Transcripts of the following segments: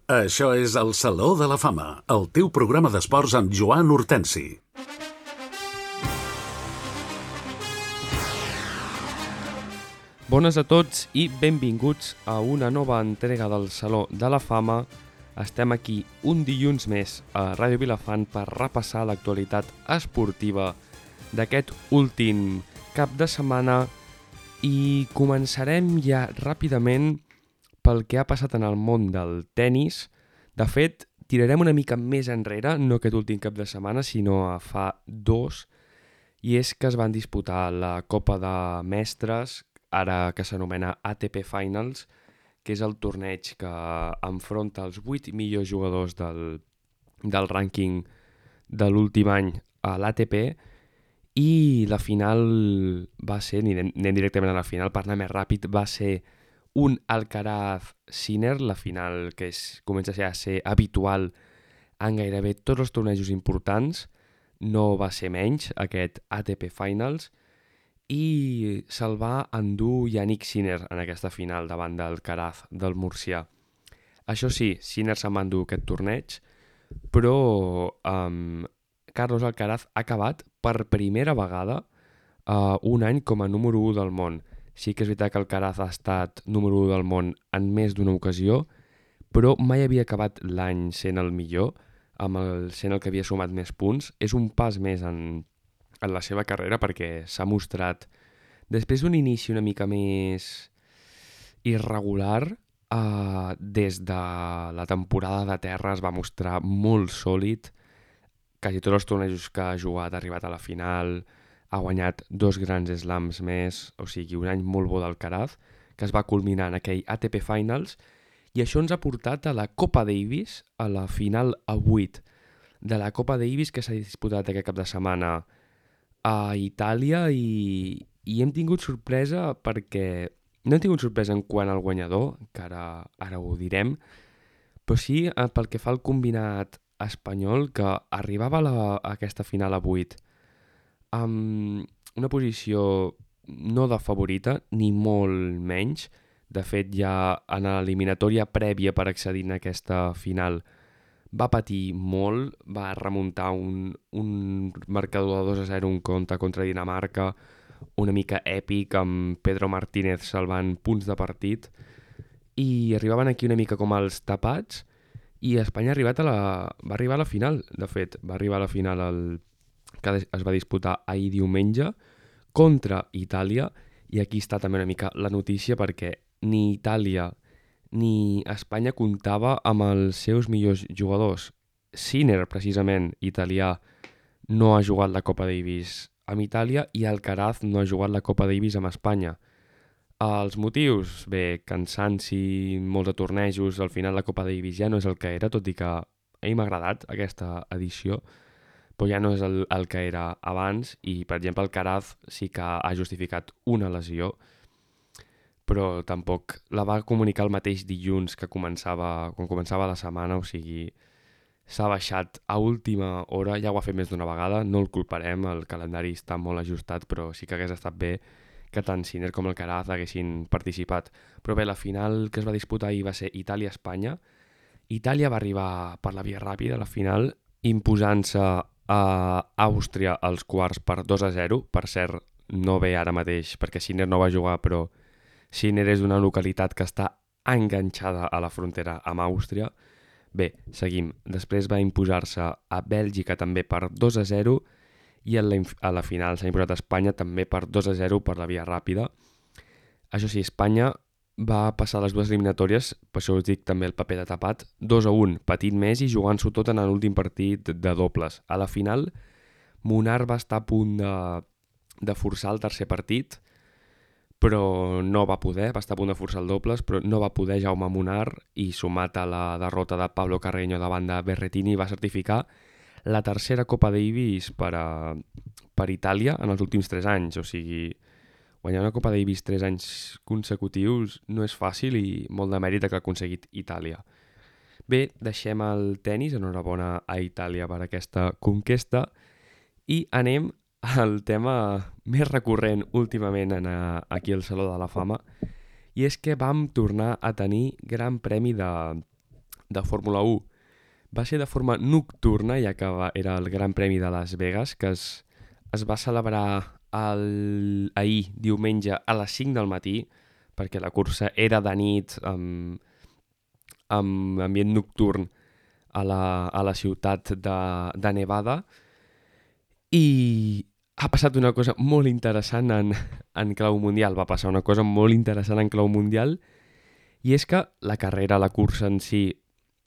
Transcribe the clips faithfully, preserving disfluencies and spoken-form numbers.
Això és el Saló de la Fama, el teu programa d'esports amb Joan Hortensi. Bones a tots i benvinguts a una nova entrega del Saló de la Fama. Estem aquí un dilluns més a Ràdio Vilafant per repassar l'actualitat esportiva d'aquest últim cap de setmana i començarem ja ràpidament pel que ha passat en el món del tennis. De fet, tirarem una mica més enrere, no aquest últim cap de setmana, sinó a fa dos, i és que es van disputar la Copa de Mestres, ara que s'anomena A T P Finals, que és el torneig que enfronta els vuit millors jugadors del, del rànquing de l'últim any a l'A T P, i la final va ser, anem, anem directament a la final, per anar més ràpid, va ser un Alcaraz-Sinner, la final que és, comença a ser, a ser habitual en gairebé tots els tornejos importants, no va ser menys aquest A T P Finals, i se'l va endur Jannik Sinner en aquesta final davant d'Alcaraz del Murcià. Això sí, Sinner se'n va endur aquest torneig, però um, Carlos Alcaraz ha acabat per primera vegada uh, un any com a número u del món. Sí que és veritat que Alcaraz ha estat número u del món en més d'una ocasió, però mai havia acabat l'any sent el millor, amb el, sent el que havia sumat més punts. És un pas més en, en la seva carrera perquè s'ha mostrat, després d'un inici una mica més irregular, eh, des de la temporada de terra es va mostrar molt sòlid. Quasi tots els tornejos que ha jugat ha arribat a la final, ha guanyat dos grans slams més, o sigui, un any molt bo d'Alcaraz, que es va culminar en aquell A T P Finals, i això ens ha portat a la Copa Davis, a la final a vuit de la Copa Davis que s'ha disputat aquest cap de setmana a Itàlia, i, i hem tingut sorpresa perquè no hem tingut sorpresa en quant al guanyador, que ara, ara ho direm, però sí pel que fa al combinat espanyol, que arribava a, la, a aquesta final a vuit amb una posició no de favorita, ni molt menys. De fet, ja en l'eliminatòria prèvia per accedir a aquesta final va patir molt, va remuntar un, un marcador de dos a zero, un compte contra Dinamarca, una mica èpic, amb Pedro Martínez salvant punts de partit, i arribaven aquí una mica com els tapats, i Espanya ha arribat a la, va arribar a la final. De fet, va arribar a la final el que es va disputar ahir diumenge contra Itàlia, i aquí està també una mica la notícia perquè ni Itàlia ni Espanya comptava amb els seus millors jugadors. Sinner, precisament, italià, no ha jugat la Copa Davis amb Itàlia, i Alcaraz no ha jugat la Copa Davis amb Espanya. Els motius? Bé, cansanci, molts de tornejos, al final la Copa Davis ja no és el que era, tot i que a mi m'ha agradat aquesta edició, però ja no és el, el que era abans, i per exemple Alcaraz sí que ha justificat una lesió, però tampoc la va comunicar el mateix dilluns que començava, quan començava la setmana, o sigui, s'ha baixat a última hora, ja ho ha fet més d'una vegada, no el culparem, el calendari està molt ajustat, però sí que hagués estat bé que tant Sinner com Alcaraz haguessin participat. Però bé, la final que es va disputar ahir va ser Itàlia-Espanya. Itàlia va arribar per la via ràpida a la final, imposant-se a Àustria als quarts per dos a zero, per cert, no ve ara mateix perquè Sinner no va jugar, però Sinner és una localitat que està enganxada a la frontera amb Àustria. Bé, seguim. Després va imposar-se a Bèlgica també per dos a zero, i a la, a la final s'ha imposat a Espanya també per dos a zero per la via ràpida. Això sí, Espanya va passar les dues eliminatòries, per això us dic també el paper de tapat, dos a un, patint més i jugant-s'ho tot en l'últim partit de dobles. A la final, Munar va estar a punt de, de forçar el tercer partit, però no va poder, va estar a punt de forçar el dobles, però no va poder Jaume Munar, i sumat a la derrota de Pablo Carreño davant de Berrettini va certificar la tercera Copa Davis per, a, per Itàlia en els últims tres anys, o sigui, guanyar una Copa Davis tres anys consecutius no és fàcil, i molt de mèrit que ha aconseguit Itàlia. Bé, deixem el tennis, enhorabona a Itàlia per aquesta conquesta, i anem al tema més recurrent últimament en, a, aquí al Saló de la Fama, i és que vam tornar a tenir Gran Premi de, de Fórmula u va ser de forma nocturna, ja que va, era el Gran Premi de Las Vegas, que es, es va celebrar el, ahir, diumenge, a les cinc del matí, perquè la cursa era de nit, amb, amb ambient nocturn a la, a la ciutat de, de Nevada, i ha passat una cosa molt interessant en, en clau mundial, va passar una cosa molt interessant en clau mundial, i és que la carrera, la cursa en si,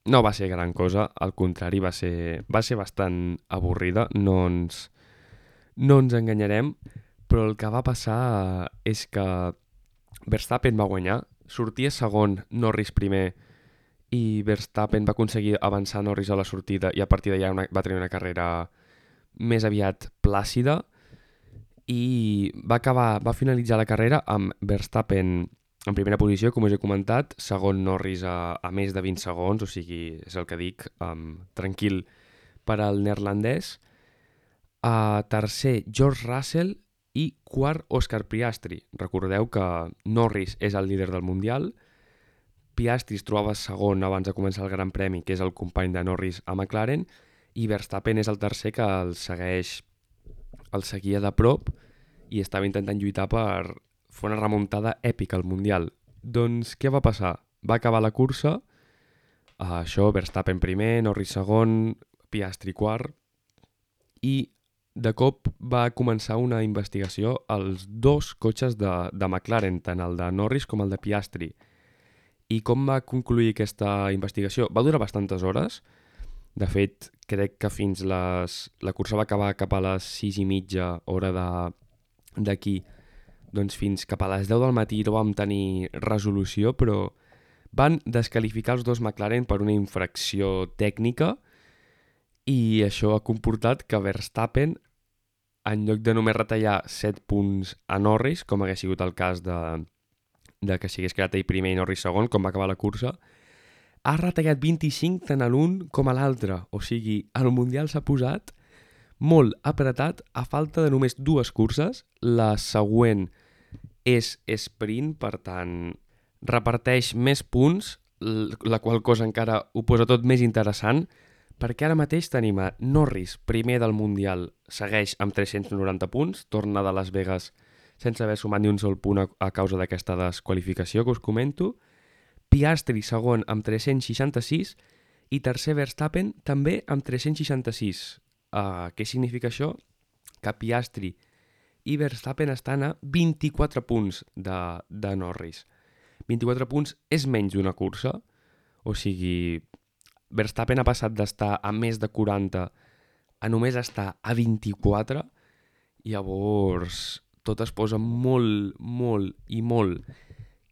no va ser gran cosa, al contrari, va ser, va ser bastant avorrida, no ens, no ens enganyarem, però el que va passar és que Verstappen va guanyar, sortia segon, Norris primer, i Verstappen va aconseguir avançar Norris a la sortida i a partir d'allà una, va tenir una carrera més aviat plàcida i va, acabar, va finalitzar la carrera amb Verstappen en primera posició, com us he comentat, segon Norris a, a més de vint segons, o sigui, és el que dic, um, tranquil per al neerlandès. Uh, tercer, George Russell i quart, Oscar Piastri. Recordeu que Norris és el líder del Mundial, Piastri es trobava segon abans de començar el Gran Premi, que és el company de Norris a McLaren, i Verstappen és el tercer que el segueix, el seguia de prop i estava intentant lluitar per fer una remuntada èpica al Mundial. Doncs què va passar? Va acabar la cursa, uh, això, Verstappen primer, Norris segon, Piastri quart, i de cop va començar una investigació als dos cotxes de, de McLaren, tant el de Norris com el de Piastri. I com va concluir aquesta investigació? Va durar bastantes hores. De fet, crec que fins les... la cursa va acabar cap a les sis i mitja hora d'aquí. Doncs fins cap a les deu del matí no vam tenir resolució, però van descalificar els dos McLaren per una infracció tècnica i això ha comportat que Verstappen, en lloc de només retallar set punts a Norris, com hagués sigut el cas de, de que s'hagués quedat ell primer i Norris segon, com va acabar la cursa, ha retallat vint-i-cinc tant a l'un com a l'altre. O sigui, el Mundial s'ha posat molt apretat a falta de només dues curses. La següent és sprint, per tant, reparteix més punts, la qual cosa encara ho posa tot més interessant, perquè ara mateix tenim a Norris, primer del Mundial, segueix amb tres-cents noranta punts, torna de Las Vegas sense haver sumat ni un sol punt a, a causa d'aquesta desqualificació que us comento, Piastri segon amb tres-cents seixanta-sis i tercer Verstappen també amb tres-cents seixanta-sis. Uh, què significa això? Que Piastri i Verstappen estan a vint-i-quatre punts de, de Norris. vint-i-quatre punts és menys d'una cursa, o sigui, Verstappen ha passat d'estar a més de quaranta a només estar a vint-i-quatre, i llavors tot es posa molt, molt i molt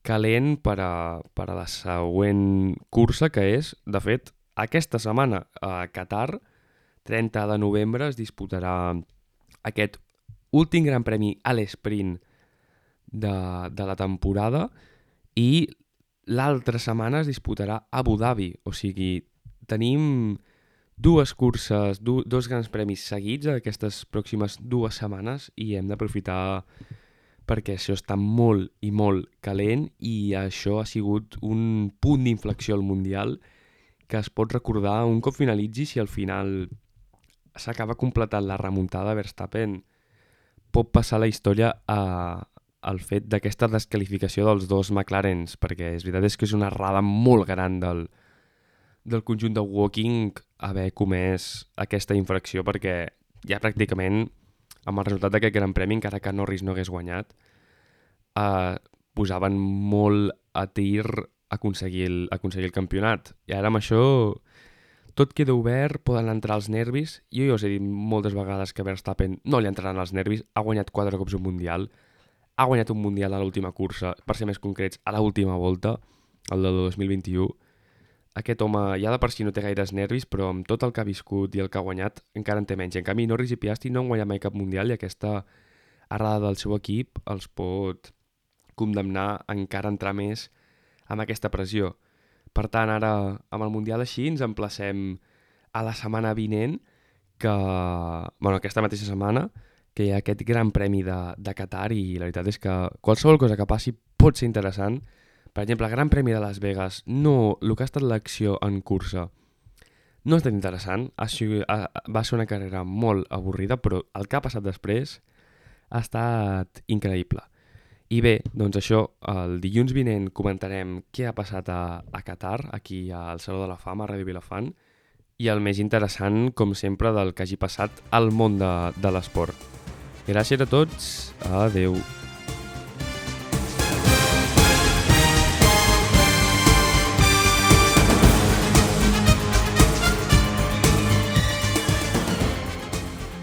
calent per a, per a la següent cursa, que és, de fet, aquesta setmana a Qatar, trenta de novembre, es disputarà aquest últim gran premi a l'esprint de, de la temporada i l'altra setmana es disputarà a Abu Dhabi. O sigui, tenim dues curses, du, dos grans premis seguits aquestes pròximes dues setmanes i hem d'aprofitar perquè això està molt i molt calent i això ha sigut un punt d'inflexió al Mundial que es pot recordar un cop finalitzi. Si al final s'acaba completant la remuntada, Verstappen pot passar la història a, al fet d'aquesta desqualificació dels dos McLarens, perquè és veritat és que és una errada molt gran del, del conjunt de Woking haver comès aquesta infracció, perquè ja pràcticament amb el resultat d'aquest Gran Premi, encara que Norris no hagués guanyat, eh, posaven molt a tir aconseguir el, aconseguir el campionat. I ara amb això tot queda obert, poden entrar els nervis. Jo ja us he dit moltes vegades que Verstappen no li entraran els nervis, ha guanyat quatre cops un Mundial, ha guanyat un Mundial a l'última cursa, per ser més concrets, a l'última volta, el del dos mil vint-i-u. Aquest home ja de per si no té gaires nervis, però amb tot el que ha viscut i el que ha guanyat encara en té menys. En canvi, Norris i Piastri no han guanyat mai cap Mundial i aquesta errada del seu equip els pot condemnar a encara entrar més amb aquesta pressió. Per tant, ara amb el Mundial així ens emplacem a la setmana vinent, que, bueno, aquesta mateixa setmana, que hi ha aquest gran premi de, de Qatar i la veritat és que qualsevol cosa que passi pot ser interessant Per exemple, el Gran Premi de Las Vegas, no, el que ha estat l'acció en cursa no ha estat interessant, ha sigut, ha, va ser una carrera molt avorrida, però el que ha passat després ha estat increïble. I bé, doncs això, el dilluns vinent comentarem què ha passat a, a Qatar, aquí al Saló de la Fama, a Ràdio Vilafant, i el més interessant, com sempre, del que hagi passat al món de, de l'esport. Gràcies a tots, adeu.